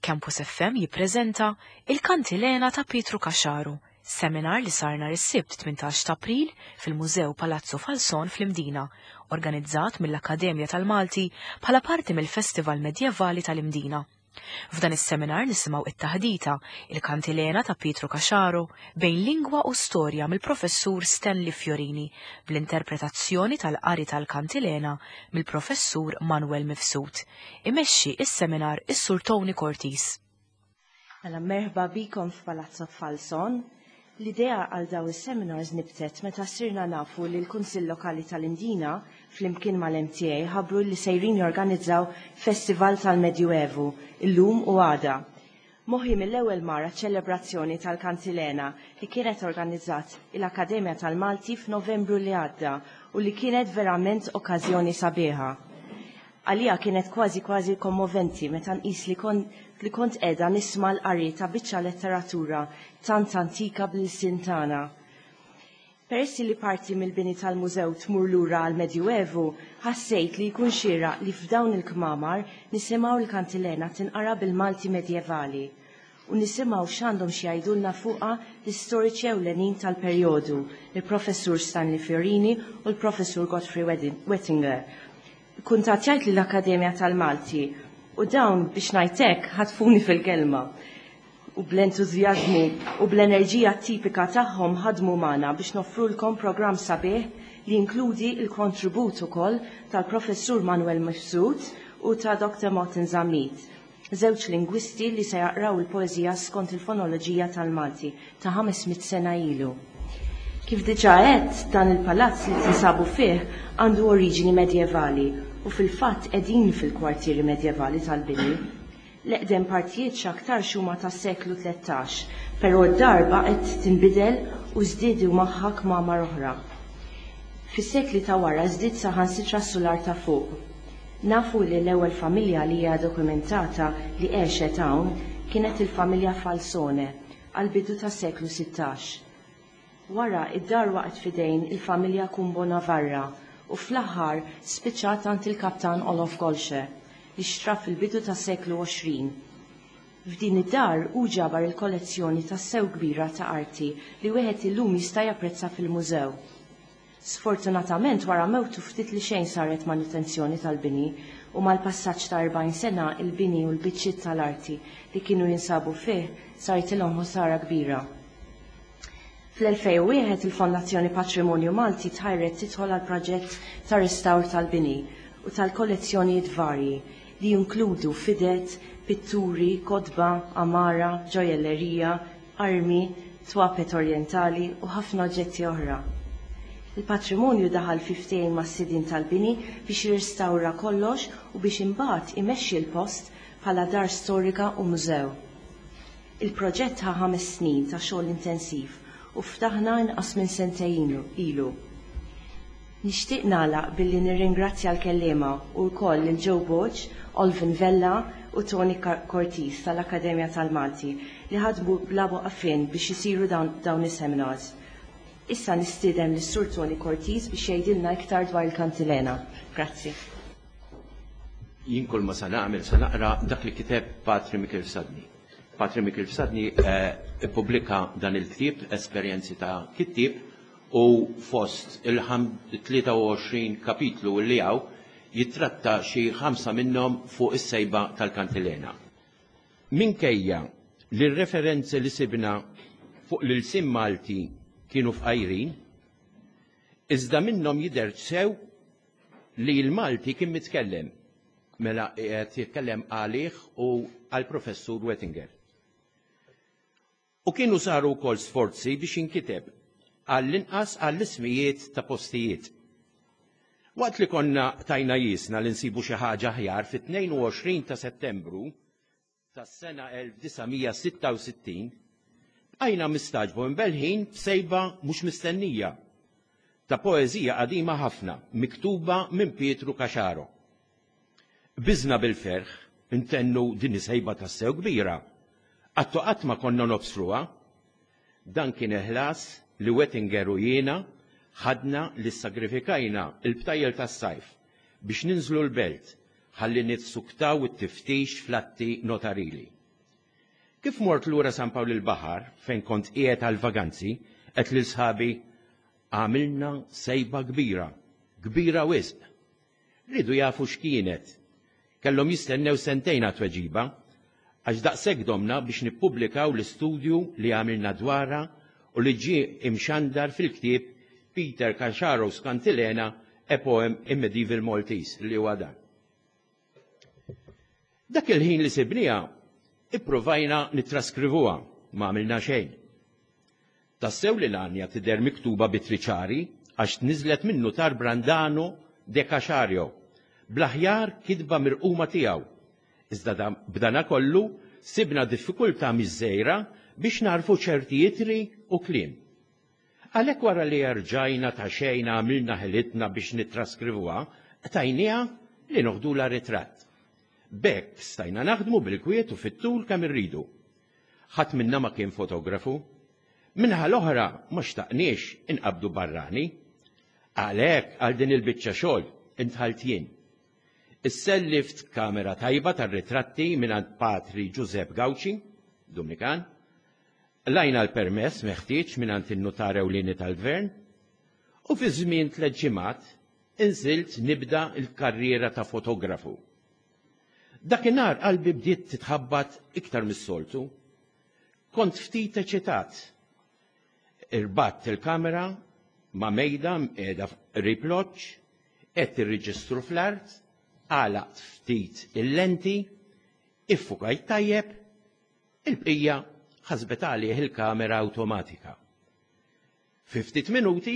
Campus FM jippreżenta Il-Kantilena ta' Pietru Caxaru, seminar li sar nhar is-Sibt 18 ta' April fil-Mużew Palazzo Falson fl-Imdina, organizzat mill-Akkademja tal-Malti bħala parti mill-Festival Medjevali tal-Imdina. F'dan is-seminar nisimgħu it-taħdita Il-Kantilena ta' Pietru Caxaro bejn lingwa u storja mill-Professur Stanley Fiorini bl-interpretazzjoni tal-qari tal-Kantilena mill-Professur Manuel Mifsud. Imexxi is-seminar is-Sur Tony Cortis. Mela merħba bikom f'Palazzo Falson. L-idea għal daw is-seminars nibtet meta sirna nafu li l-Kunsill Lokali tal-Imdina flimkien mal-MTA ħabbru li sejrin jorganizzaw Festival tal-Medjuevu illum u għada. Moħħi mill-ewwel mar għaċ-ċelebrazzjoni tal-Kantilena li kienet organizzat il-Akkademja tal-Malti f'Novembru li għadda u li kienet verament okkażjoni sabiħa. Għalija kienet kważi kważi kommoventi meta nqis li kon li kont qiegħda nisma' l-qari ta' biċċa letteratura tant antika bl-ilsien tagħna. Peress li parti mill-bini tal-mużew tmur lura għall-Medjuevu, ħassejt li jkun xieraq li f'dawn il-kmamar nisimgħu l-kantilena tinqara bil-Malti medjevali u nisimgħu x'għandhom xi jgħidulna fuqha l-istoriċi ewlenin tal-perjodu, il-Professur Stanley Fiorini u l-Professur Godfrey Wettinger. Kuntattjajt lill-Akkademja tal-Malti u dawn biex ngħid hekk ħatfuni fil-kelma u bl-entużjażmu u bl-enerġija tipika tagħhom ħadmu magħna biex noffrulkom programm sabiħ li jinkludi l-kontribut ukoll tal-Professur Manuel Mifsud u ta' Dr. Martin Zammit, żewġ lingwisti li se jaqraw il-poeżija skont il-fonoloġija tal-Malti ta' 500 sena ilu. Kif diġà għedt, dan il-palazz li tinsabu fih għandu oriġini medjevali u fil-fatt qegħdin fil-kwartieri medjevali tal-bini. L-eqdem partijiet x'aktarx huma tas-seklu 13, però d-dar baqgħet tinbidel u żdiedu magħha kmamar oħra. Fis-sekli ta' wara żdied saħansitra s-sular ta' fuq. Nafu li l-ewwel familja li hija dokumentata li għexet hawn kienet il-familja Falsone għall-bidu tas-seklu 16. Wara, id-dar waqgħet f'idejn il-familja Cumbo Navarra u fl-aħħar spiċċat għand il-Kaptan Olof Golsche li xtra fil-bidu tas-seklu 20. F'din id-dar hu ġabar il-kollezzjoni tassew kbira ta' arti li wieħed illum jista' japprezza fil-mużew. Sfortunatament wara mewtu ftit li xejn saret manutenzjoni tal-bini u mal-passaġġ ta' 40 sena il-bini u l-biċċiet tal-arti li kienu jinsabu fih saritilhom ħsara kbira. Fl-2001 il-Fondazzjoni Patrimonju Malti tħajret tidħol għal proġett ta' restawr tal-bini u tal-kollezzjonijiet varji li jinkludu fidet, pitturi, kotba, għamara, ġojellerija, armi, twapet orjentali u ħafna oġġetti oħra. Il-patrimonju daħal fi ftehim mas-sidien tal-bini biex jirrestawra kollox u biex imbagħad imexxi l-post bħala dar storika u mużew. Il-proġett ħa 5 snin ta' xogħol intensiv u ftaħna inqas minn sentejn ilu. Nixtieq nagħlaq billi nirringrazzja l-kelliema u wkoll lil Joe Borg, Olvin Vella u Tony Cortis tal-Akkademja tal-Malti li ħadmu bla waqfien biex isiru dawn is-seminars. Issa nistieden lis-Sur Tony Cortis biex jgħidilna iktar dwar il-Kantilena. Grazzi. Jien kull ma sa nagħmel sa naqra dak li kiteb Patri Mikil Fsadni. Patri Mikil Fsadni ippubblika dan il-ktieb Esperjenzi ta' Kittieb u fost il-23 kapitlu li hawn jittratta xi ħamsa minnhom fuq is-sejba tal-Kantilena. Minkejja li r-referenzi li sibna fuq l-ilsien Malti kienu fqajrin, iżda minnhom jidher sew li l-Malti kien mitkellem, mela qiegħed jitkellem għalih u għall-Professur Wettinger. U kienu saru wkoll sforzi biex jinkiteb għall-inqas għall-ismijiet ta' postijiet. Waqt li konna tajna jisna li nsibu xi ħaġa aħjar fit-22 ta' Settembru tas-sena 1966, bqajna mistagħġba imbellħin b'sejba mhux mistennija ta' poeżija qadima ħafna miktuba minn Pietru Caxaro. Qbiżna bil-ferħ intennu din hi sejba tassew kbira. Qatt u qatt ma konna nobsruha. Dan kien il-ħlas li Wettinger u jiena ħadna li ssagrifikajna l-btajjel tas-sajf biex ninżlu l-Belt ħalli nissuktaw it-tiftix fl-atti notarili. Kif mort lura San Pawl il-Baħar fejn kont qiegħed għall-vaganzi, għedt lil sħabi, Għamilna sejba kbira, kbira wisq. Riedu jafu x'kienet. Kellhom jistennew sentejn għat-tweġiba, għax daqshekk domna biex nippubblikaw l-istudju li għamilna dwarha u li ġie imxandar fil-ktieb Peter Caxaro's Cantilena, A Poem in Medieval Maltese, li huwa dan. Dak il-ħin li sibniha, ippruvajna nittraskrivuha, ma għamilna xejn. Tassew li l-għanja tidher miktuba b'ittri ċari għax tniżżlet min-Nutar Brandano de Caxario, bl-aħjar kitba mirquma tiegħu, iżda b'danakollu sibna diffikultà mhix żgħira biex nagħrfu ċerti ittri u kliem. Għalhekk wara li erġajna ta' xejn għamilna ħilitna biex nittraskrivuha, qtajniha li noħdulha ritratt. B'hekk stajna naħdmu bil-kwiet u fit-tul kemm irridu. Ħadd minna ma kien fotografu. Min-naħa l-oħra ma xtaqniex inqabbdu barrani. Għalhekk għal din il-biċċa xogħol indħalt jien. Issellift kamera tajba tar-ritratti mingħand Patri Ġużepp Gauci, Dumnikan, Qlajna l-permess meħtieġ mingħand in-Nutar Ewlieni tal-Gvern u fi żmien tlett ġimgħat inżilt nibda l-karriera ta' fotografu. Dakinhar qalbi bdiet titħabbat iktar mis-soltu. Kont ftit eċitat. Irbatt il-kamera ma' mejda mqiegħda qrib loġġ, qegħedt ir-reġistru fl-art, għalaqt ftit il-lenti, iffukajt tajjeb, Il-bqija ħasbet għalih il-kamera awtomatika. Fi ftit minuti,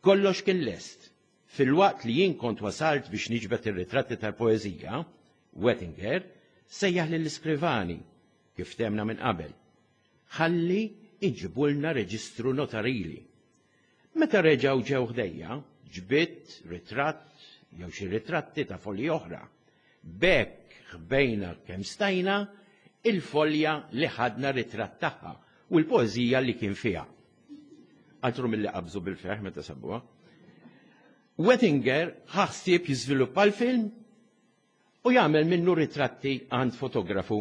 kollox kien lest. Filwaqt li jien kont wasalt biex niġbed ir-ritratti tal-poeżija, Wettinger sejjaħ lill-iskrivani, kif ftehmna minn qabel, ħalli iġibulna reġistru notarili. Meta reġgħu ġew ħdejja, ġbidt ritratt jew xi ritratti ta' folji oħra. B'hekk ħbejna kemm stajna il-folja li ħadna ritratt tagħha u l-poeżija li kien fiha. Altru milli qabżu bil-ferħ meta sabuha. Wettinger ħa ħsieb jiżviluppa l-film u jagħmel minnu ritratti għand fotografu.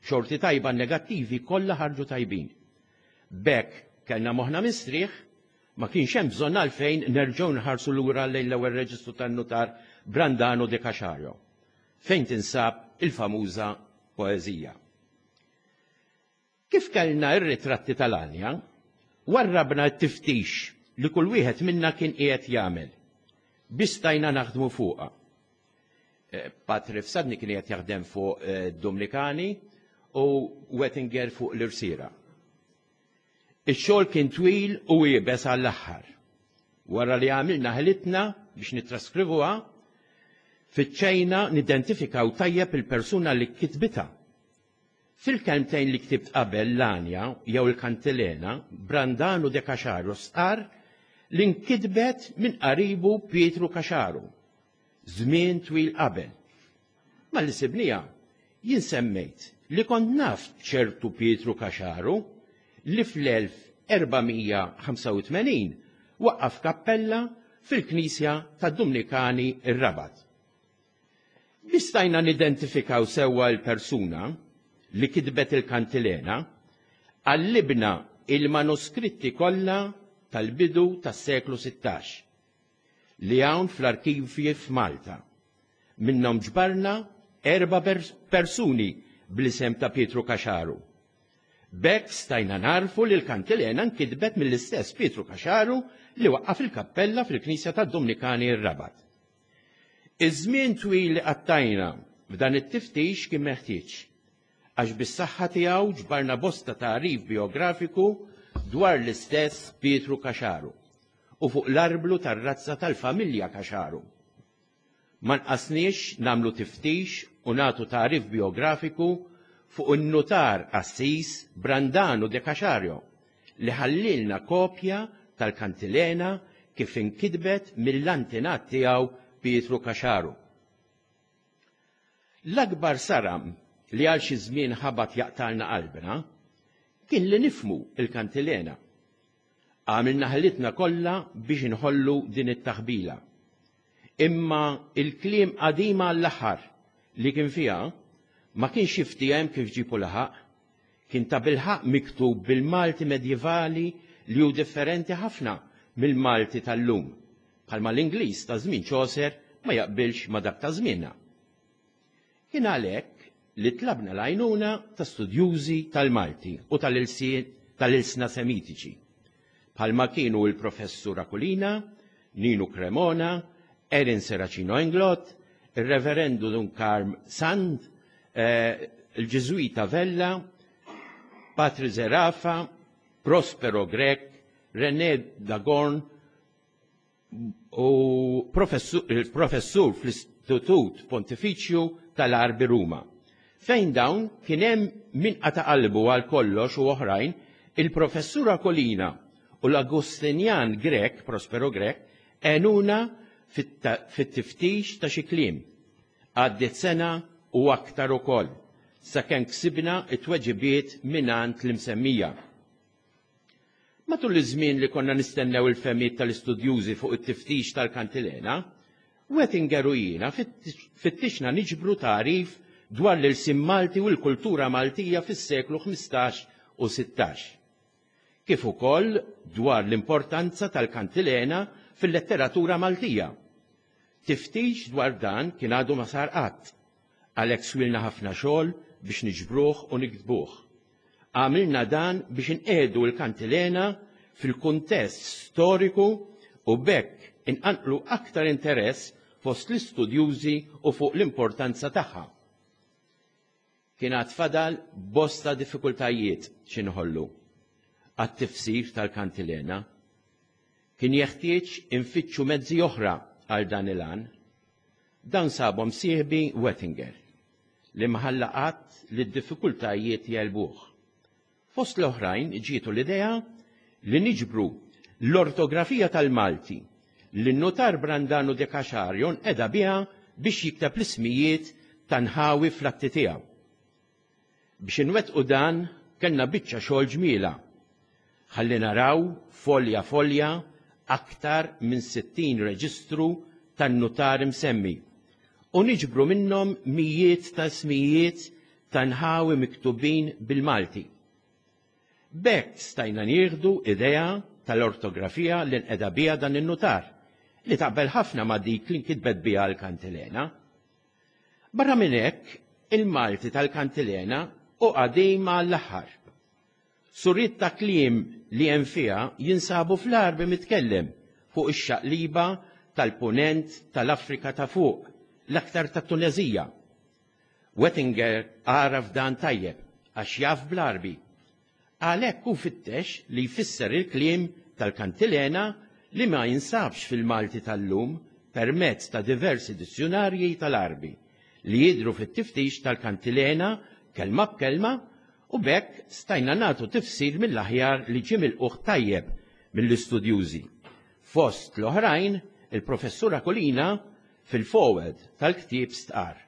Xorti tajba n-negattivi kollha ħarġu tajbin. B'hekk kellna moħħna mistrieħ, ma kienx hemm bżonn għalfejn nerġgħu nħarsu lura lejn l-ewwel reġistru tan-nutar Brandano de Caxario, fejn tinsab il-famuża poeżija. Kif kellna r-ritratti tal-għanja, warrabna t-tiftix li kull wieħed minna kien qiegħed jagħmel biex stajna naħdmu fuqha. Eh, Patri Fsadni kien qiegħed jaħdem fuq eh, Dumnikani u Wettinger fuq l-irsira. Ix-xogħol kien twil u iebes għall-aħħar. Wara li għamilna ħilitna biex nittraskrivuha, fittxejna nidentifikaw tajjeb il-persuna li kitbitha. Fil-kelmtejn li ktibt qabel l-għanja jew il-kantilena, Brandano de Caxaro stqarr li nkitbet minn qaribu Pietru Caxaro, żmien twil qabel. Malli sibniha, jien semmejt li kont naf ċertu Pietru Caxaro li fl-1485 waqqaf kappella fil-knisja tad-Dumnikani r-Rabat. Biex stajna nidentifikaw sewwa l-persuna li kitbet il-kantilena, qallibna il-manuskritti kollha tal-bidu tas-seklu 16 li hawn fl-arkivji f'Malta. Minnhom ġbarna erba' persuni bl-isem ta' Pietru Caxaru. B'hekk stajna nagħrfu li l-kantilena nkitbet mill-istess Pietru Caxaru li waqqaf il-kappella fil-knisja tad-Dumnikani r-Rabat. Iż-żmien twil li qattajna f'dan it-tiftix kien meħtieġ, għax bis-saħħa tiegħu ġbarna bosta tagħrif bijografiku dwar l-istess Pietru Caxaru u fuq l-arblu tar-razza tal-familja Caxaru. Ma nqasniex nagħmlu tiftix u nagħtu tagħrif bijografiku fuq in-nutar qassis Brandano de Caxario li ħallielna kopja tal-kantilena kif inkitbet mill-antenat tiegħu Pietru Caxaru. L-akbar saram li għal xi żmien ħabat jaqtgħalna qalbna kien li nifhmu l-kantilena. Għamilna ħilitna kollha biex inħollu din it-taħbila. Imma il-kliem qadim għall-aħħar li kien fiha ma kienx jiftiehem kif ġieb u laħaq. kien tabilħaqq miktub bil-Malti medjevali li hu differenti ħafna mill-Malti tal-lum, bħalma l-Ingliż ta' żmien Chaucer ma jaqbilx ma' dak ta' żmienna. Kien għalhekk li tlabna l-għajnuna ta' studjużi tal-Malti u tal-ilsna Semitiċi, bħalma kienu l-Professur Aquilina, Ninu Cremona, Erin Serracino Englott, ir-Reverendu Dun Karm Sand, il-Ġiżwita Vella, Patri Zerafa, Prospero Grech, René Dagorn u il-professur fl-Istitut Pontifiċju tal-Għarbi Ruma. Fejn dawn kien hemm min qata' qalbu għal kollox u oħrajn, il-Professur Aquilina u l-Agustinjan Grech, Prospero Grech, għenuna fit-tiftix ta' xi kliem. Għaddiet sena u aktar ukoll sakemm ksibna t-tweġibiet mingħand l-imsemmija. Matul iż-żmien li konna nistennew il-fehmiet tal-istudjużi fuq it-tiftix tal-kantilena, Wettinger u jiena fittixna niġbru tagħrif dwar l-ilsien Malti u l-kultura Maltija fis-seklu 15 u 16. Kif ukoll dwar l-importanza tal-kantilena fil-letteratura Maltija. Tiftix dwar dan kien għadu ma sar qatt, għalhekk swilna ħafna xogħol biex niġbruh u niktbuh. Għamilna dan biex inqiegħdu l-kantilena fil-kuntest storiku u b'hekk inqanqlu aktar interess fost l-istudjużi u fuq l-importanza tagħha. Kien għad fadal bosta diffikultajiet xi nħollu għat-tifsir tal-kantilena. Kien jeħtieġ infittxu mezzi oħra għal dan il-għan. Dawn sabhom sieħbi Wettinger, li ma ħalla qatt li d-diffikultajiet jegħlbuh. Fost l-oħrajn ġietu l-idea li niġbru l-ortografija tal-Malti li n-Nutar Brandano de Caxario nqeda biha biex jikteb l-ismijiet ta' nħawi fl-atti tiegħu. Biex inwettqu dan kellna biċċa xogħol ġmielha. Ħalli naraw folja folja aktar minn 60 reġistru tan-nutar imsemmi u niġbru minnhom mijiet ta' ismijiet ta' nħawi miktubin bil-Malti. B'hekk stajna nieħdu idea tal-ortografija li nqeda biha dan in-nutar, li taqbel ħafna ma' dik li nkitbet biha l-kantilena. Barra minn hekk, il-Malti tal-kantilena hu qadim għall-aħħar. Suriet ta' kliem li hemm fiha jinsabu fl-Għarbi mitkellem fuq ix-xaqliba tal-Punent tal-Afrika ta' Fuq, l-aktar tat-Tuneżija. Wettinger għaraf dan tajjeb għax jaf bl-Għarbi. Għalhekk hu fittex li jfisser il-kliem tal-kantilena li ma jinsabx fil-Malti tal-lum permezz ta' diversi dizzjunarji tal-Għarbi li jidhru fit-tiftix tal-kantilena kelma b'kelma u b'hekk stajna nagħtu tifsir mill-aħjar li ġie milqugħ tajjeb mill-istudjużi. Fost l-oħrajn, il-Professur Aquilina fil-foreword tal-ktieb stqarr,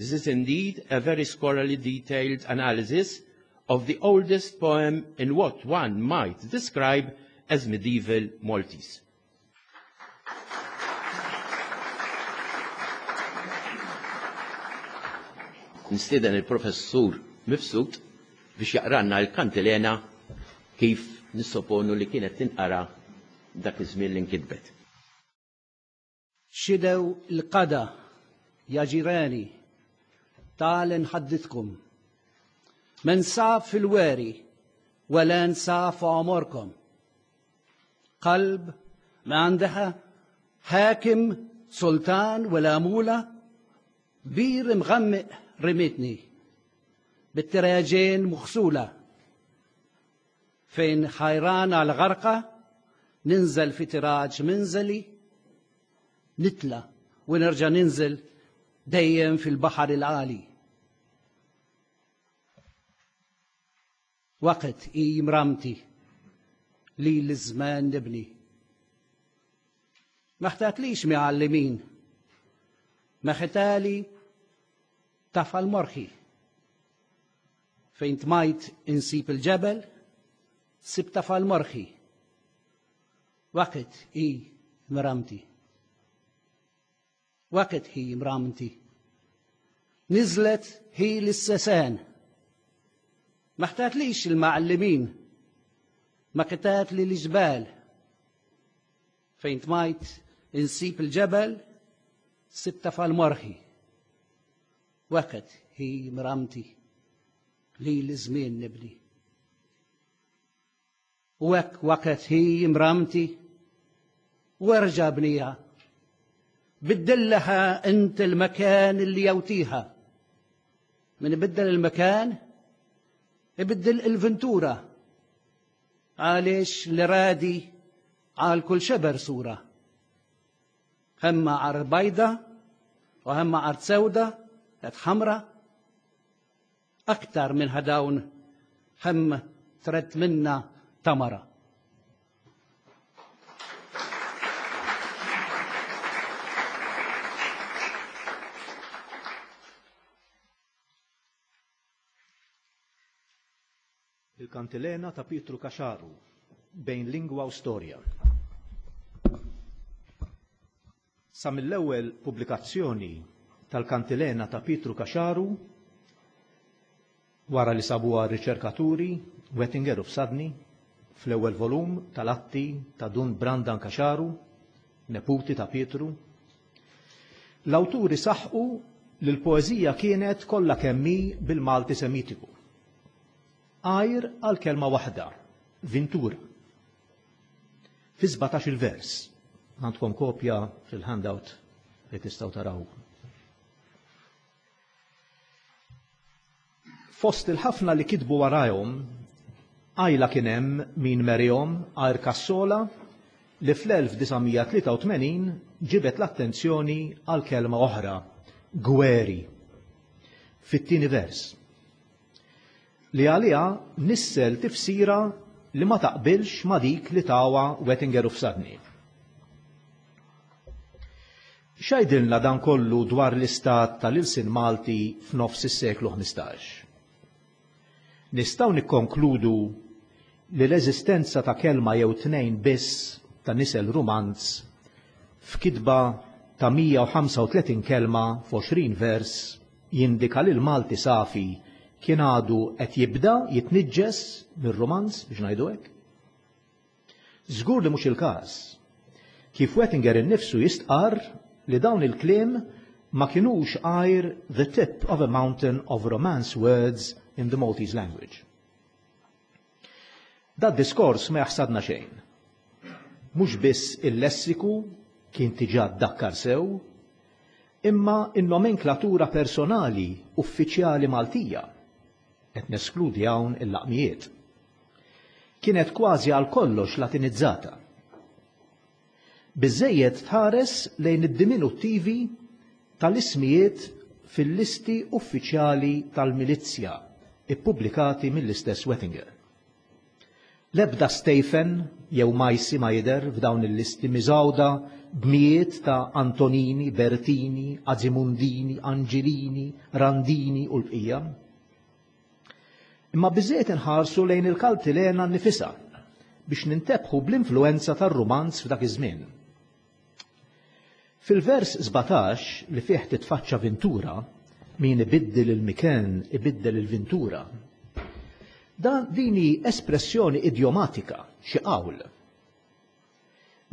This is indeed a very scholarly detailed analysis of the oldest poem in what one might describe as medieval Maltese. Nistieden il-Professur Mifsud biex jaqranna l-kantilena kif nissoponu li kienet tinqara dak iż-żmien li nkitbet. شدوا القدا يا جيراني تعال نحدثكم من صعب في الواري ولا نصعب في عمركم قلب ما عندها حاكم سلطان ولا مولى بير مغمق رمتني بالتراجين مغسولة فين حيران على غرقة ننزل في تراج منزلي نتلى ونرجع ننزل دايم في البحر العالي وقت إي مرامتي لي للزمان نبني ما احتاجليش معلمين ما ختالي طفى المرخي فين تمايت نسيب الجبل سبت المرخي وقت إي مرامتي وقت هي مرامتي نزلت هي للسسان. ما احتاجليش المعلمين، ما قتات لي الجبال. فين طميت نسيب الجبل سبت فالمرخي. وقت هي مرامتي لي الزمين نبني. وقت هي مرامتي وارجع بنيها. بدل لها انت المكان اللي يوتيها. من بدل المكان بدل الفنتورة. عاليش لرادي عال كل شبر صورة. هم عرض بيضة وهم عرض سودة حمرة. أكثر من هداون هم ترد منا تمرة. Il-Kantilena ta' Pietru Caxaru, bejn lingwa u storja. Sa mill-ewwel pubblikazzjoni tal-Kantilena ta' Pietru Caxaru, wara li sabuha r-riċerkaturi Wettinger u Fsadni, fl-ewwel volum tal-atti ta' Dun Brandan Caxaru, neputi ta' Pietru, l-awturi saħqu li l-poeżija kienet kollha kemm hi bil-Malti Semitiku. Għajr għal kelma waħda, vintura. Fi 17 il-vers, għandkom kopja fil-handout li tistgħu taraw. Fost il-ħafna li kitbu warajhom, għajla kien hemm min merihom għajr Cassola li fl-1983 ġibet l-attenzjoni għal kelma oħra, gweri, fit-tieni vers, li għaliha nissel tifsira li ma taqbilx ma dik li tawa Wettinger u Fsadni. X'għidilna dan kollu dwar l-istat tal-ilsien Malti f'nofs is-seklu 15? Nistgħu nikkonkludu li l-eżistenza ta' kelma jew tnejn biss ta' nisel Rumanz f'kitba ta' 135 kelma f'20 vers jindika li l-Malti safi kien għadu qed jibda jitniġġes mir-Rumanz, biex ngħidu hekk? Żgur li mhux il-każ. Kif Wettinger innifsu jistqarr li dawn il-kliem ma kinux għajr the tip of a mountain of romance words in the Maltese language. Da diskors ma jaħsadna xejn. Mhux biss il-lessiku kien diġà ddakkar sew, imma in-nomenklatura personali uffiċjali Maltija, qed neskludi hawn il-laqmijiet, kienet kważi għal kollox latinizzata. Biżżejjed tħares lejn id-diminuttivi tal-ismijiet fil-listi uffiċjali tal-milizzja ippubblikati mill-istess Wettinger. L-ebda Stephen jew Majsi ma jidher f'dawn il-listi miżgħuda b'mijiet ta' Antonini, Bertini, Azimundini, Angelini, Randini u l-bqija. Imma biżżejjed inħarsu lejn il-Kantilena nnifisha biex nintebħu bl-influenza tar-Rumanz f'dak iż-żmien. Fil-vers 17 li fih titfaċċa Ventura, min ibiddel il-miken ibiddel il-vintura, dan din hi espressjoni idjomatika, xi qawl.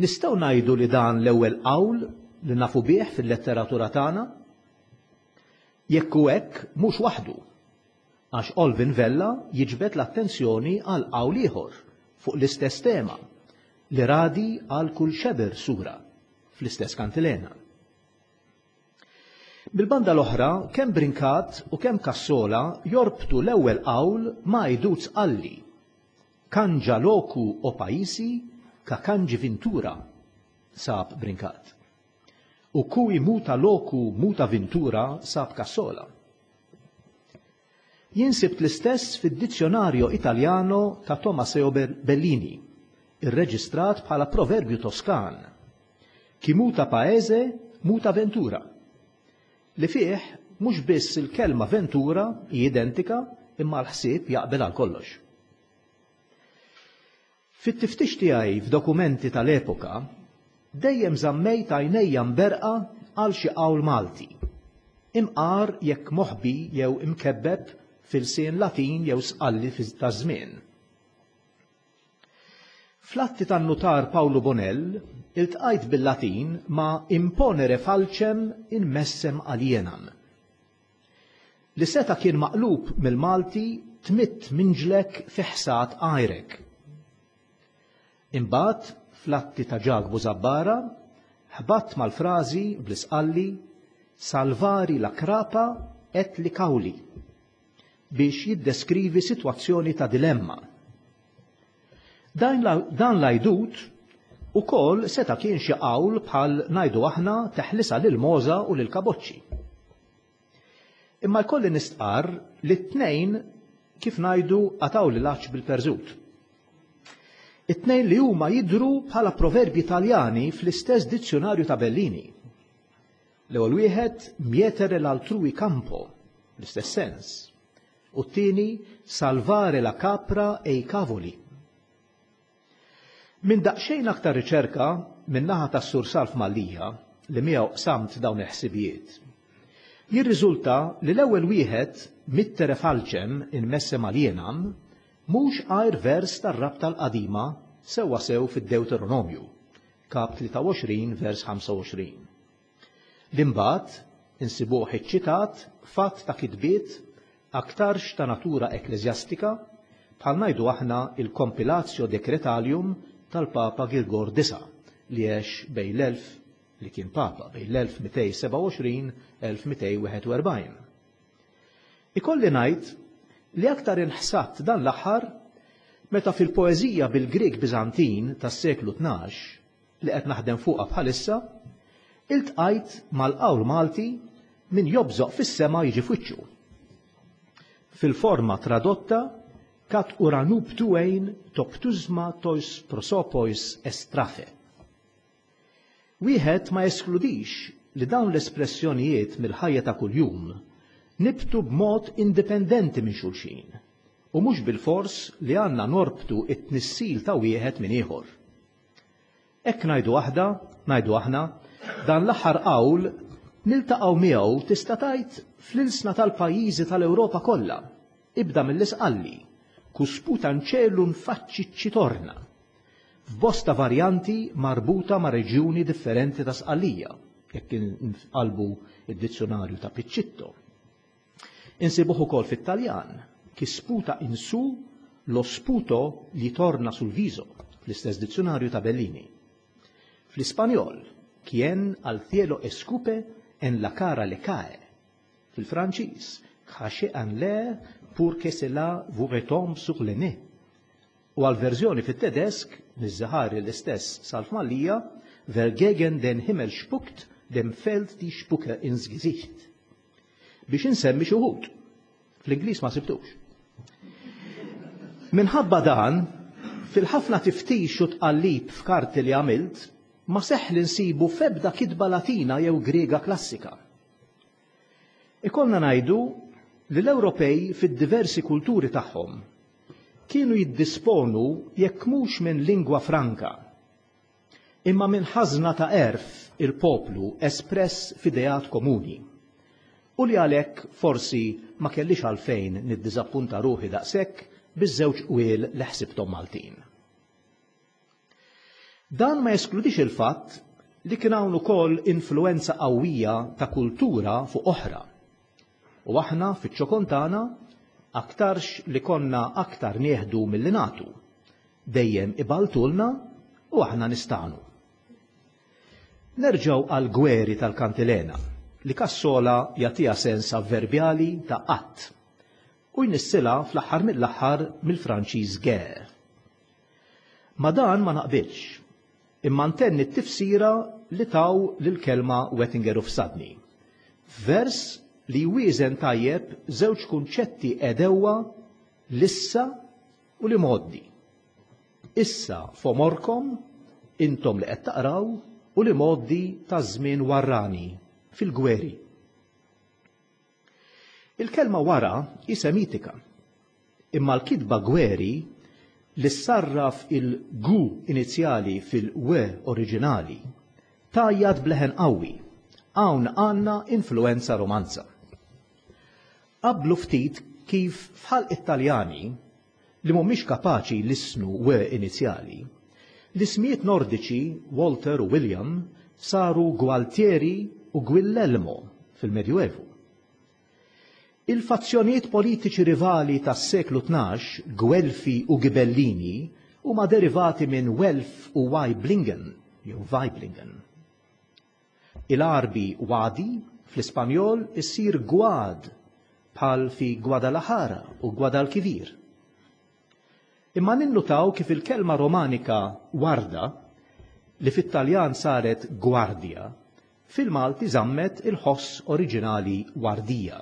Nistgħu ngħidu li dan l-ewwel qawl li nafu bih fil-letteratura tagħna? Jekk hu hekk, mhux waħdu, għax Olvin Vella jiġbed l-attenzjoni għal qawl ieħor fuq l-istess tema, li radi għal kull xeber sura, fl-istess kantilena. Bil-banda l-oħra, kemm Brincat u kemm Cassola jorbtu l-ewwel qawl ma' għidut Sqalli, Kanġa loku o paisi ka kanġi vintura, sab Brincat. U cui muta loku muta vintura, sab Cassola. Jien sibt l-istess fid-Dizionario Italiano ta' Tomaseo Bellini, irreġistrat bħala proverbju Toskan, Chi muta paese, muta ventura, li fih mhux biss il-kelma ventura hi identika imma l-ħsieb jaqbel għal kollox. Fit-tiftix tiegħi f'dokumenti tal-epoka, dejjem żammejt għajnejja mberqa għal xi qawl Malti, imqar jekk moħbi jew imkebbeb f'ilsien Latin jew Sqalli taż-żmien. Fl-atti tan-nutar Pawlu Bonell iltqajt bil-Latin ma' imponere falcem in messem alienam. Li seta' kien maqlub mill-Malti tmidd minġlek fi ħsad għajrek. Imbagħad fl-atti ta' Ġakbu Żabbara ħbatt mal-frażi bl-Isqalli salvari la crapa et li cauli biex jiddeskrivi sitwazzjoni ta' dilemma. Dan l-għajdut ukoll seta' kien xi qawl bħal ngħidu aħna teħlisha lill-mogħża u lill-kaboċċi. Imma jkolli nistqarr li t-tnejn kif ngħidu qatgħuli l-għatx bil-perżut. It-tnejn li huma jidhru bħala proverbji Taljani fl-istess dizzjunarju ta' Bellini. L-ewwel wieħed mietere l'altrui campo, l-istess sens, u t-tieni salvare la capra e i cavoli. Minn daqsxejn aktar riċerka min-naħa tas-Sur Salv Mallia, li miegħu qsamt dawn il-ħsibijiet, jirriżulta li l-ewwel wieħed, Mittere falcem in messem alienam, mhux għajr vers tar-Rabta l-Qadima sewwasew fid-Dewteronomju, Kap 23 vers 25. Li mbagħad insibuh iċċitat f'għadd ta' kitbiet aktarx ta' natura ekkleżjastika, bħal ngħidu aħna il-Compilatio Decretalium tal-Papa Girgor Disa' li għex bejn l-elf li kien Papa bejn l-1227 1241. Ikolli ngħid li aktar inħsadt dan l-aħħar meta fil-poeżija bil-Grieg Biżantin tas-seklu 12 li qed naħdem fuqha bħalissa, iltqajt mal-qawl Malti min jobżoq fis-sema jiġi f'wiċċu. Fil-forma tradotta kat uranuptuein toptuzma tois prosopois estrafe. Wieħed ma jeskludix li dawn l-espressjonijiet mill-ħajja ta' kuljum nibtu b'mod indipendenti minn xulxin u mhux bilfors li għandna norbtu t-tnissil ta' wieħed minn ieħor. Hekk ngħidu aħda, ngħidu aħna, dan l-aħħar qawl niltaqgħu miegħu tista' tgħid fl-ilsna tal-pajjiżi tal-Ewropa kollha, ibda mill-Isqalli, cu sputa 'ncielu 'nfacci ci torna, f'bosta varjanti marbuta ma' reġjuni differenti ta' Sqallija, jekk inqalbu d-dizzjunarju ta' Piccitto. Insibuh ukoll fit-Taljan, chi sputa in su, lo sputo gli torna sul viso, fl-istess dizzjunarju ta' Bellini. Fl-Ispanjol, quien al cielo escupe, en la cara le cae. Fil-Franċiż, crachez en l'air pour que cela vous retombe sur le nez. U għall-verżjoni fit-Tedesk, niżżaħari l-istess Salv Mallia, Wer gegen den Himmel spuckt, dem fällt die Spucke ins Gesicht. Biex insemmi xi wħud. Fl-Ingliż ma sibtux. Minħabba dan, fil-ħafna tiftix u tqallib f'karti li għamilt, ma seħħ li nsibu f'ebda kitba Latina jew Griega klassika. Ikollna ngħidu li l-Ewropej fid-diversi kulturi tagħhom kienu jiddisponu jekk mhux minn lingwa franka, imma minn ħażna ta' għerf il-poplu espress f'ideat komuni, u li għalhekk forsi ma kellix għalfejn niddiżappunta ruħi daqshekk biż-żewġ qwiel li ħsibthom Maltin. Dan ma jeskludix il-fatt li kien hawn ukoll influwenza qawwija ta' kultura fuq oħra. U aħna fiċ-ċokon tagħna aktarx li konna aktar nieħdu milli nagħtu. Dejjem iballtulna u aħna nistagħnu. Nerġgħu għall-gweri tal-kantilena li Cassola jagħtiha sens avverbjali ta' qatt u jnissilha fl-aħħar mill-aħħar mill-Franċiż guerre. Ma' dan ma naqbilx, imma ntenni t-tifsira li taw lill-kelma Wettinger u Fsadni, f'vers li jwieżen tajjeb żewġ kunċetti għedewwa l-issa u l-imgħoddi. Issa f'għomorkom, intom li qed taqraw, u l-imgħoddi taż-żmien warrani, fil-gweri. Il-kelma wara hi Semitika, imma l-kitba gweri li ssarraf il-gu inizjali fil-w oriġinali, tgħajjat b'leħen qawwi, hawn għandna influwenza Romanza. Qabblu ftit kif f'ħalq it-Taljani, li mhumiex kapaċi jlissnu w inizjali, l-ismijiet Nordiċi Walter u William saru Gualtieri u Guillelmo fil-Medjuevu. Il-fazzjonijiet politiċi rivali tas-seklu 12, Gwelfi u Ghibellini, huma derivati minn Welf u Waiblingen jew Waiblingen. Il-Għarbi wadi fl-Ispanjol issir gwad bħal fi Guadalajara u Guadalquivir. Imma ninnutaw kif il-kelma Romanika warda, li fit-Taljan saret gwardja, fil-Malti żammet il-ħoss oriġinali wardija.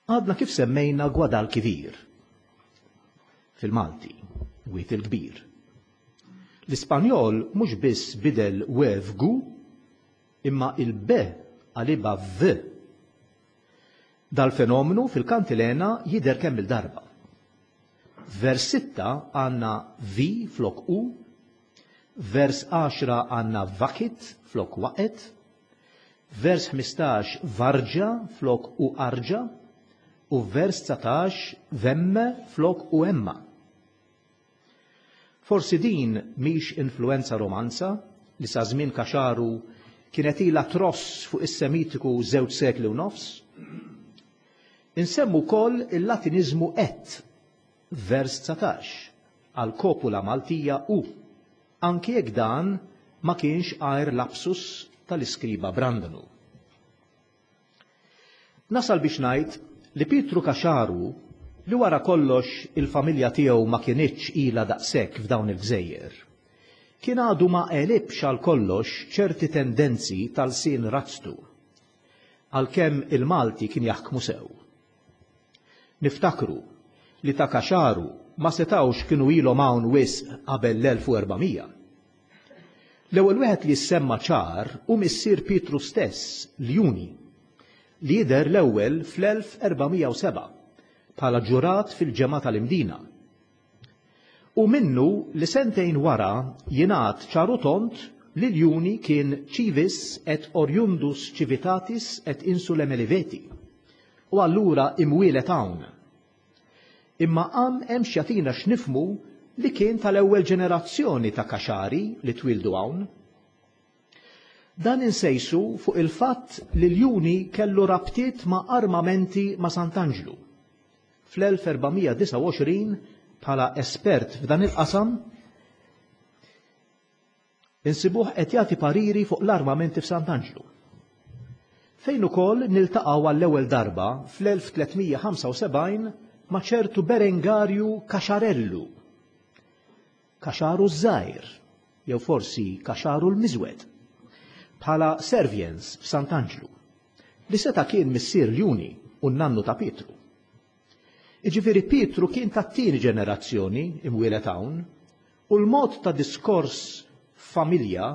Għadna kif semmejna Guadalquivir fil-Malti, Wied il-Kbir. L-Ispanjol mhux biss bidel w f'gu, imma il-b qalibha v. Dal-fenomenu fil-kantilena jidher kemm-il darba. F'vers sitta għandna vi flok u, f'vers għaxra għandna vakit flok waqgħet, f'vers 15 varġa flok u arġa, u f'vers 19 vemme flok u emma. Forsi din mhix influwenza Romanza li sa żmien Caxaru kienet ilha tross fuq is-Semitiku żewġ sekli u nofs? Insemmu wkoll il-Latiniżmu et, f'vers 19, għall-kopula Maltija u, anki jekk dan ma kienx għajr lapsus tal-iskriba Brandanu. Nasal biex ngħid li Pietru Caxaru, li wara kollox il-familja tiegħu ma kinitx ilha daqshekk f'dawn il-gżejjer, kien għadu ma għelibx għal kollox ċerti tendenzi ta' lsien razztu, għalkemm il-Malti kien jaħkmu sew. Niftakru li ta' Caxaru ma setgħux kienu ilhom hawn wisq qabel l-1400. L-ewwel wieħed li jissemma ċar hu missier Pietru stess, Ljuni, li jidher l-ewwel fl-1407 bħala ġurat fil-Ġemgħa tal-Imdina. Hu minnu li sentejn wara jingħad ċar u tond li Ljuni kien civis et oriundus civitatis et insulae Meliveti u allura imwieled hawn. Imma qam hemm x'jagħtina x'nifhmu li kien tal-ewwel ġenerazzjoni ta' Caxari li twieldu hawn. Dan insejsu fuq il-fatt li Ljuni kellu rabtiet ma' armamenti ma' Sant'Anġlu. Fl-1429 bħala espert f'dan il-qasam, Insibuh qed jagħti pariri fuq l-armamenti f'Sant'Anġlu. Fejn ukoll niltaqgħu għall-ewwel darba fl-1375 ma' ċertu Berengarju Caxarellu. Caxaru ż-żgħir, jew forsi Caxaru l-miżwed, bħala serviens f'Sant'Anġlu, li seta' kien missier Ljuni u n-nannu ta' Pietru. Jiġifieri Pietru kien tat-tieni ġenerazzjoni imwieled hawn u l-mod ta' diskors f'familja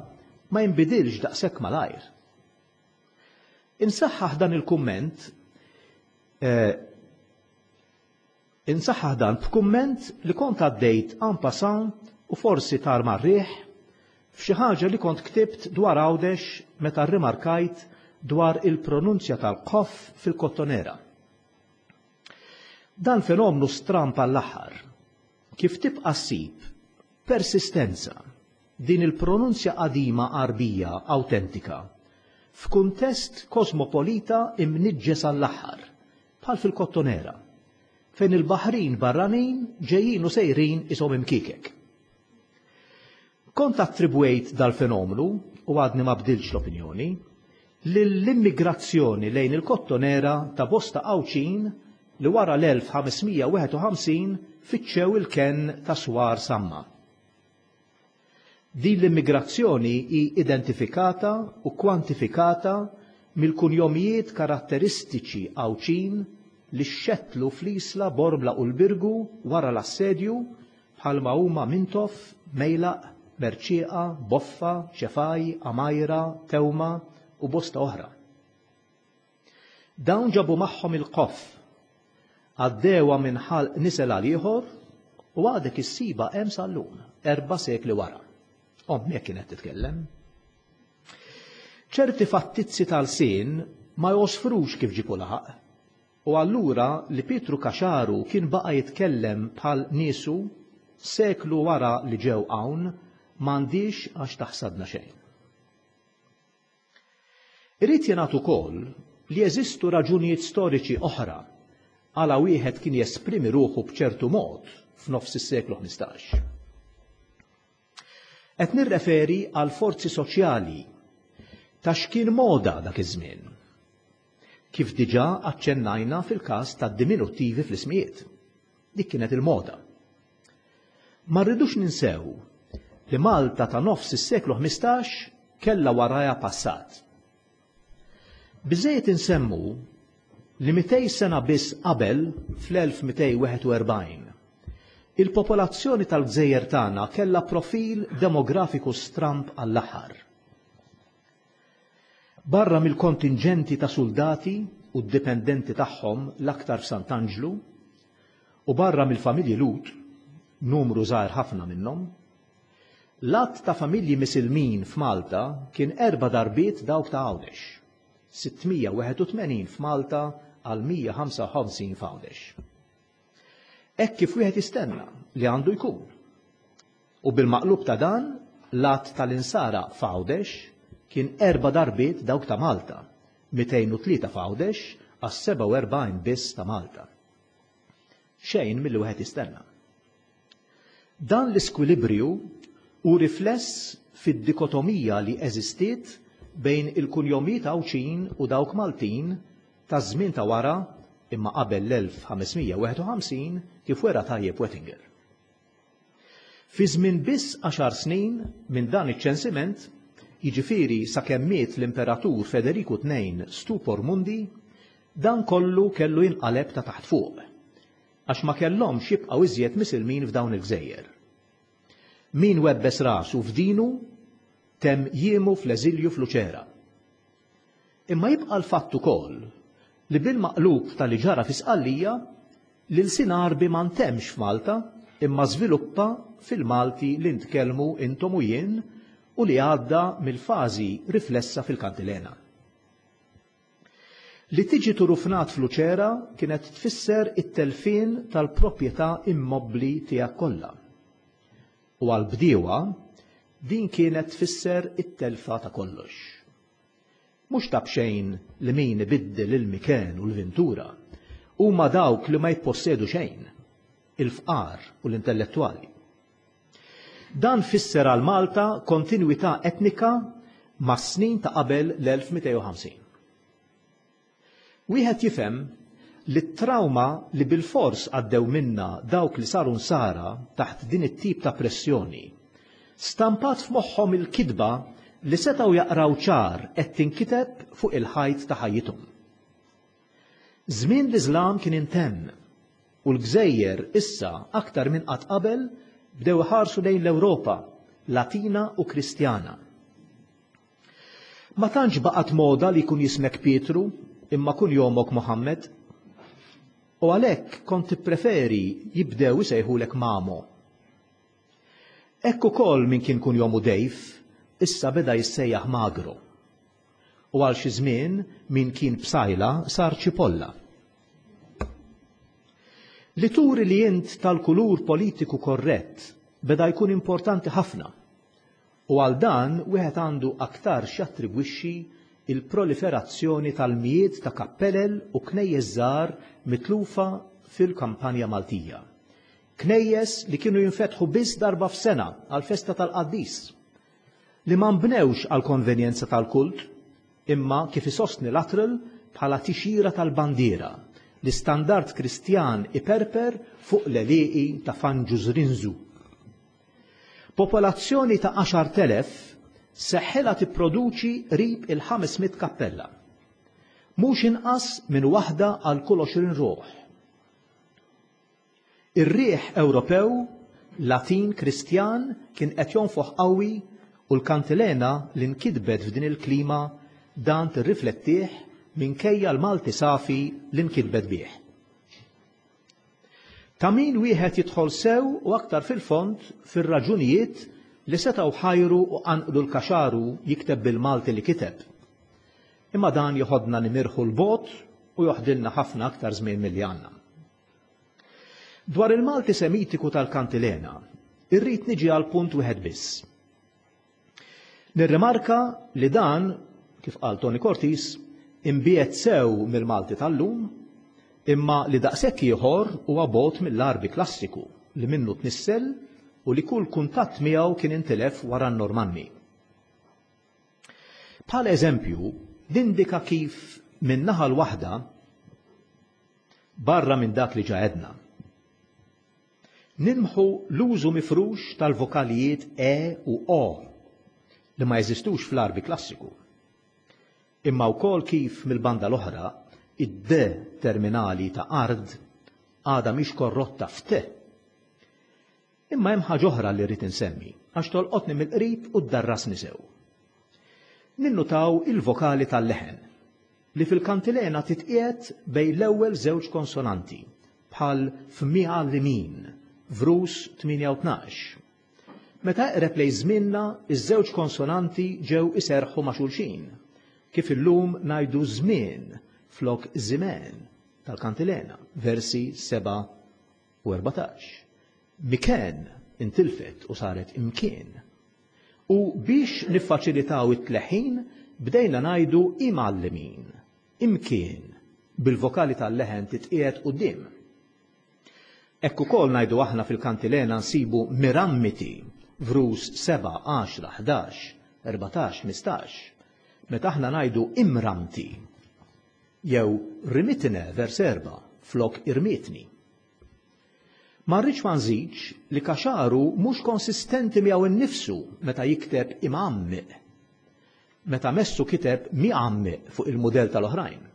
ma jinbidilx daqshekk malajr. Insaħħaħ dan il-kumment eh, insaħħaħ dan b'kumment li kont għaddejt en passant u forsi tar mar-riħ f'xi ħaġa li kont ktibt dwar Għawdex meta rrimarkajt dwar il-pronunzja tal-qoff fil-Kottonera. Dan fenomnu stramb għall-aħħar. Kif tibqa' ssib persistenza din il-pronunzja qadima Għarbija awtentika f'kuntest kosmopolita imniġġes għall-aħħar, bħal fil-Kottonera, fejn il-baħrin barranin ġejjin u sejrin qishom imkiekek. Kont attribwejt dal-fenomnu, u għadni ma bdiltx l-opinjoni, lill-immigrazzjoni lejn il-Kottonera ta' bosta Għawdxin li wara l-1551 fittxew il-kenn ta' Swar Samma. Din l-immigrazzjoni hi identifikata u kwantifikata mill-kunjomijiet karatteristiċi Għawdxin li xxettlu fl-Isla, Bormla u l-Birgu wara l-Assedju bħalma huma Mintoff, Mejlaq, Mercieqa, Boffa, Ċefaj, Għamajra, Tewma u bosta oħra. Dawn ġabu magħhom il-qoff. Għaddewha minn ħalq nisel għal ieħor u għadek issibha hemm sal-lum, erba' sekli wara. Ommi hekk kienet titkellem. Ċerti fattizzi tal-sin ma josfrux kif ġipu laħaq. U allura li Pietru Caxaru kien baqa' jitkellem bħal niesu seklu wara li ġew hawn m'għandhiex għax taħsadna xejn. Irid jingħad ukoll li jeżistu raġunijiet storiċi oħra għala wieħed kien jesprimi ruħu b'ċertu mod f'nofs is-seklu 15. Qed nirreferi għal forzi soċjali ta' x'kien moda dak iż-żmien. Kif diġà aċċennajna fil-każ tad-diminuttivi fl-ismijiet. Dik kienet il-moda. Ma rridux ninsew li Malta ta' nofs is-seklu 15 kellha warajha passat. Biżżejjed insemmu li 200 sena biss qabel, fl-1241, il-popolazzjoni tal-gżejjer tagħna kellha profil demografiku stramb għall-aħħar. Barra mill-kontinġenti ta' suldati u d-dipendenti tagħhom l-aktar f'Sant'Anġlu, u barra mill-familji Lhud, numru żgħir ħafna minnhom, l-għadd ta' familji Misilmin f'Malta kien erba' darbiet dawk ta' Għawdex, 681 f'Malta għal 155 f'Għawdex. Hekk kif wieħed jistenna li għandu jkun. U bil-maqlub ta' dan, l-għadd tal-Insara f'Għawdex kien erba' darbiet dawk ta' Malta, 203 f'Għawdex għas 47 biss ta' Malta. Xejn milli wieħed jistenna. Dan l-iskwilibrju hu rifless fid-dikotomija li eżistiet bejn il-kunjomijiet Għawdxin u dawk Maltin taż-żmien ta' wara imma qabel l-1551 kif wera tajjeb Wettinger. Fi żmien biss għaxar snin minn dan iċ-ċensiment, jiġifieri sakemm miet l-Imperatur Federiku II Stupor Mundi, dan kollu kellu jinqaleb ta' taħt fuq, għax ma kellhomx jibqgħu iżjed Misilmin f'dawn il-gżejjer. Min webbes rasu f'dinu temm jiemu fl-eżilju f'Luċera. Imma jibqa' l-fatt ukoll li bil-maqlub ta' li ġara fi Sqallija, l-ilsien Għarbi ma ntemmx f'Malta imma żviluppa fil-Malti li ntkellmu intom u jien u li għadda mill-fażi riflessa fil-Kantilena. Li tiġi turufnat f'Luċera kienet tfisser it-telfien tal-proprjetà immobbli tiegħek kollha. U għall-bdiewa din kienet tfisser it-telfa ta' kollox. Mhux ta' b'xejn li min ibiddel il-miken u l-vintura huma dawk li ma jippossedu xejn, il-fqar u l-intellettwali. Dan fisser għal Malta kontinwità etnika mas-snin ta' qabel l-1250. Wieħed jifhem li t-trawma li bilfors għaddew minnha dawk li saru Nsara taħt din it-tip ta' pressjoni, stampat f'moħħhom il-kitba li setgħu jaqraw ċar qed tinkiteb fuq il-ħajt ta' ħajjithom. Żmien l-Iżlam kien intemm u l-gżejjer issa aktar minn qatt qabel bdew iħarsu lejn l-Ewropa, Latina u Kristjana. Ma tantx baqgħet moda li jkun jismek Pietru imma kunjomok Mohammed. U għalhekk kont tippreferi jibdew isejħulek Mamo. Hekk ukoll min kien kunjomu Dave issa beda jissejjaħ Magro. U għal xi żmien min kien Psajla sar Ċipolla. Li turi li int tal-kulur politiku korrett beda jkun importanti ħafna U għal dan wieħed għandu aktarx jattribwixxi l-proliferazzjoni tal-mijiet ta' kappelel u knejjes żgħar mitlufa fil-kampanja Maltija. Knejjes li kienu jinfetħu biss darba f'sena għall-festa tal-qaddis. Li ma nbnewx għall-konvenjenza tal-kult, imma kif isostni Luttrell bħala tixjira tal-bandiera, l-istandard Kristjan iperper fuq l-għelieqi ta' Fanġu Żrinżu. Popolazzjoni ta' 10,000 seħħilha tipproduċi qrib il-500 kappella. Mhux inqas minn waħda għal kull 20 ruħ. Ir-riħ Ewropew, Latin Kristjan kien qed jonfoħ qawwi u l-kantilena li nkitbet f'din il-klima dan tirriflettih minkejja l-Malti safi li nkitbet bih. Ta' min wieħed jidħol sew u aktar fil-fond fir-raġunijiet li setgħu ħajru u qanqlu l-Kaxaru jikteb bil-Malti li kiteb. Imma dan joħodna nimirħu 'l bogħod u joħdilna ħafna aktar żmien milli għandna. Dwar il-Malti Semitiku tal-Kantilena, irrid niġi għal punt wieħed biss. Nirrimarka li dan, kif qal Tony Cortis, imbiegħed sew mill-Malti tal-lum, imma li daqshekk ieħor huwa bogħod mill-Għarbi klassiku li minnu tnissel u li kull kuntatt miegħu kien intilef wara n-Normanni. Bħala eżempju, nindika kif min-naħa l-waħda, barra minn dak li ġa għedna, nilmħu l-użu mifrux tal-vokalijiet e u o li ma jeżistux fl-Għarbi klassiku, imma wkoll kif mill-banda l-oħra id-d terminali ta' ard għadha mhix korrotta f't. Imma hemm ħaġa oħra li rrid insemmi, għax tolqotni mill-qrib u ddarrasni sew. Ninnutaw il-vokali tal-leħen, li fil-kantilena titqiegħed bejn l-ewwel żewġ konsonanti, bħal f'migħallimin, vrus 8 u 12. Meta eqreb lejn żmienna, iż-żewġ konsonanti ġew iserrħu ma' xulxin, kif illum ngħidu żmien flok żimen tal-kantilena, versi 7 u 14. Miken intilfet u saret imkien. U biex niffaċilitaw it-tleħħin bdejna ngħidu imgħallimin, imkien, bil-vokali tal-leħen titqiegħed quddiem. Hekk ukoll ngħidu aħna fil-kantilena nsibu mirammiti, vrus 7, 10, 11, 14, 15, meta aħna ngħidu imramti, jew rimitne vers 4 flok irmitni. Ma rridx ma nżidx li Caxaru mhux konsistenti miegħu nnifsu meta jikteb imgħammiq, meta messu kiteb migħammiq fuq il-mudell tal-oħrajn.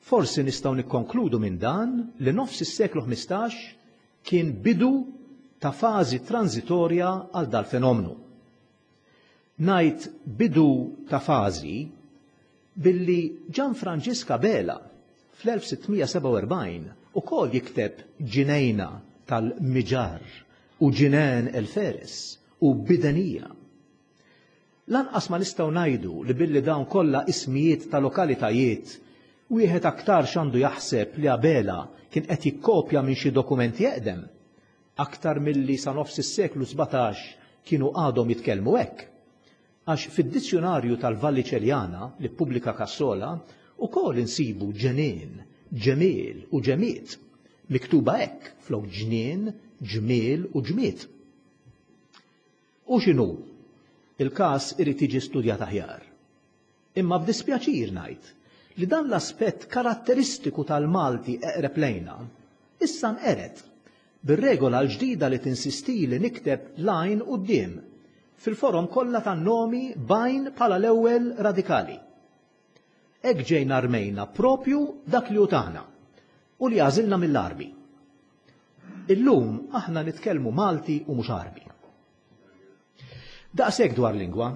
Forsi nistgħu nikkonkludu minn dan li nofs is-seklu 15 kien bidu ta' fażi transitorja għal dal-fenomenu. Ngħid bidu ta' fażi billi Ġan Franġisk Abela fl-1647 ukoll jikteb ġinejna tal-Miġar u ġineen el-Feres u Bidenija. Lanqas ma nistgħu ngħidu li billi dawn kollha ismijiet ta' lokalitajiet wieħed aktarx għandu jaħseb li Abela kien qed jikkopja minn xi dokumenti eqdem, aktar milli sa nofs is-seklu 17 kienu għadhom jitkellmu hekk. Għax fid-dizzjunarju tal-Vallicelliana li ppubblika Cassola ukoll insibu ġenien, ġemiel u ġemiet, miktuba hekk flok ġnien, ġmiel u ġmiet. U x'inhu, il-każ irid jiġi studjat aħjar. Imma b'dispjaċir ngħid li dan l-aspett karatteristiku tal-Malti eqreb lejna issa nqered bir-regola l-ġdida li tinsisti li nikteb l-għajn quddiem fil-forom kollha tan-nomi b'għajn bħala l-ewwel radikali. Hekk ġejna rmejna propju dak li hu tagħna u li għażilna mill-Għarbi. Illum aħna nitkellmu Malti u mhux Għarbi. Daqshekk dwar lingwa,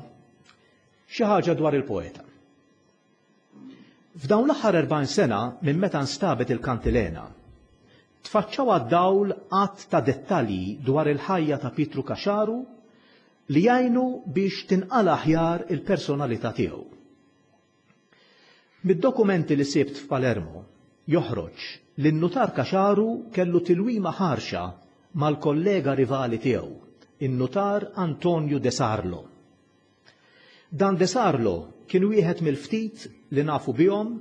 xi ħaġa dwar il-poeta. F'dawn l-aħħar 40 sena minn meta nstabet il-kantilena, tfaċċaw għad-dawl għadd ta' dettalji dwar il-ħajja ta' Pietru Caxaru li jgħinu biex tinqala aħjar il-personalità tiegħu. Mid-dokumenti li sibt f'Palermo joħroġ li n-nutar Caxaru kellu tilwima ħarxa mal-kollega rivali tiegħu, in-nutar Antonio de Sarlo. Dan de Sarlo kien wieħed mill-ftit li nafu bihom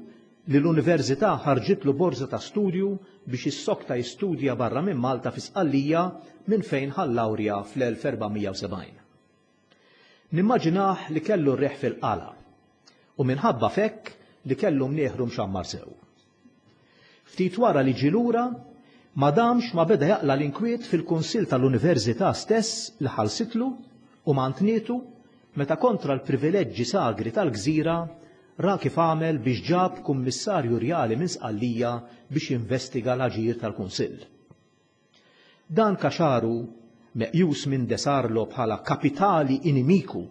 li l-Università ħarġitlu borża ta' studju biex issokta jistudja barra minn Malta fi Sqallija minn fejn ħa l-lawrja fl-1470. Nimmaġinah li kellu r-riħ fil-qala u minħabba f'hekk li kellu mnieħru mxammar sew. Ftit wara li ġie lura, ma damx ma beda jaqla' l-inkwiet fil-Kunsill tal-Università stess li ħallsitlu u mantnietu meta kontra l-privileġġi sagri tal-gżira ra kif għamel biex ġab kummissarju rjali minn Sqallija biex jinvestiga l-aġir tal-Kunsill. Dan Caxaru, meqjus minn De Sarlo bħala kapitali inimiku,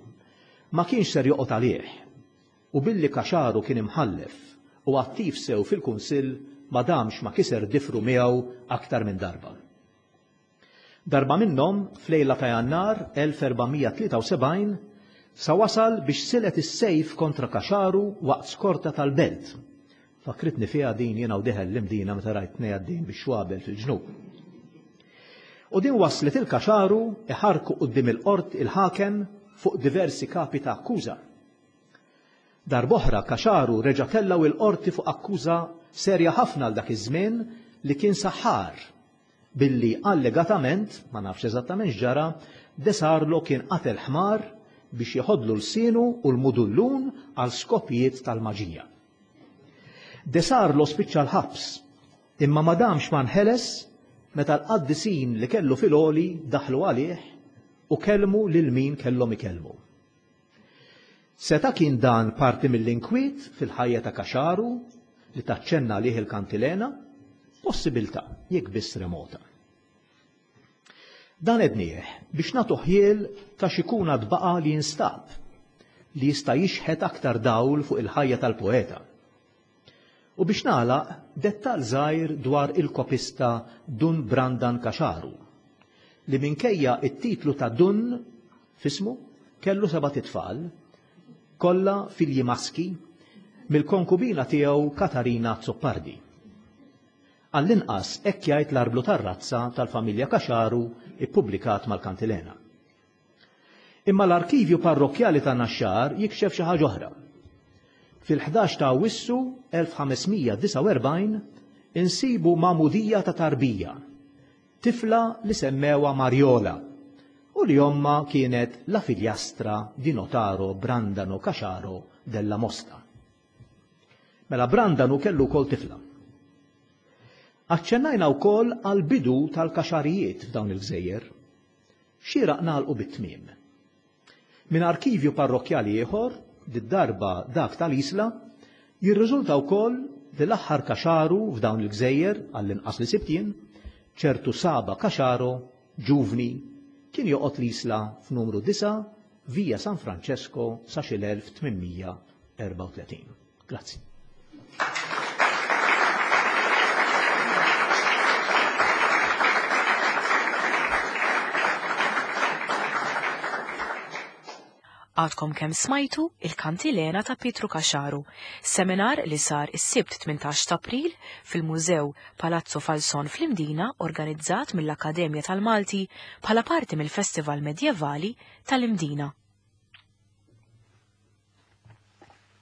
ma kienx ser joqgħod għalih u billi Caxaru kien imħallef u attiv sew fil-Kunsill ma damx ma kiser difru miegħu aktar minn darba. Darba minnhom, f'lejla ta' Jannar 1473, sa wasal biex silet is-sejf kontra Caxaru waqt skorta tal-belt. Fakkritni fiha din jiena u dieħel l-Imdina meta rajt tnej għaddejjin bix-xwabel fil-ġnub. U din wasslet il-Caxaru iħarrku quddiem il-qort il-ħakem fuq diversi kapi ta' akkuża. Darb'oħra Caxaru reġa' tellgħu il-qorti fuq akkuża serja ħafna għal dak iż-żmien li kien saħħar billi allegatament, ma nafx eżattament x'ġara, De Sarlo kien qatel ħmar biex jeħodlu lsienu u l-mudullun għal skopijiet tal-maġija. De Sarlo spiċċa l-ħabs, imma ma damx ma nħeles meta l-qaddisin li kellu fil-għoli daħlu għalih u kellmu lil min kellhom ikellmu. Seta' kien dan parti mill-inkwiet fil-ħajja ta' Caxaru li taċċenna għalih il-kantilena? Possibilità, jekk biss remota. Dan għednieh biex nagħtu ħjiel ta' x'ikun għad baqa' li jinstab li jista' jixħet aktar dawl fuq il-ħajja tal-poeta. U biex nagħlaq, dettall żgħir dwar il-kopista Dun Brandan Caxaru, li minkejja t-titlu ta' Dun f'ismu, kellu sebat itfal, kollha filji maski, mill-konkubina tiegħu Katarina Azzopardi. Għall-inqas hekk jgħid l-arblu tar-razza tal-familja Caxaru ppubblikat mal-Kantilena. Imma l-arkivju parrokkjali ta' Naxxar jikxef xi ħaġa oħra. Fil-11 ta' Awwissu 1549 insibu magħmudija ta' tarbija, tifla li semmewha Marjola u li ommha kienet la figliastra di notaro Brandano Caxaro della Mosta. Mela Brandanu kellu wkoll tifla. Aċċennajna wkoll għall-bidu tal-kaxarijiet f'dawn il-gżejjer. Xieraq nagħlqu bit-tmiem. Minn arkivju parrokkjali ieħor, did-darba dak tal-Isla, jirriżulta wkoll li l-aħħar kaxaru f'dawn il-gżejjer, għall-inqas li sibt jien, ċertu Saba Caxaro, ġuvni, kien joqgħod l-Isla f'numru 9, Via San Francesco sa xi l-1834. Grazzi. Għadkom kemm smajtu il-Kantilena ta' Pietru Caxaru, seminar li sar is-Sibt 18 ta' April fil-Mużew Palazzo Falson fl-Imdina organizzat mill-Akkademja tal-Malti bħala parti mill-Festival Medjevali tal-Imdina.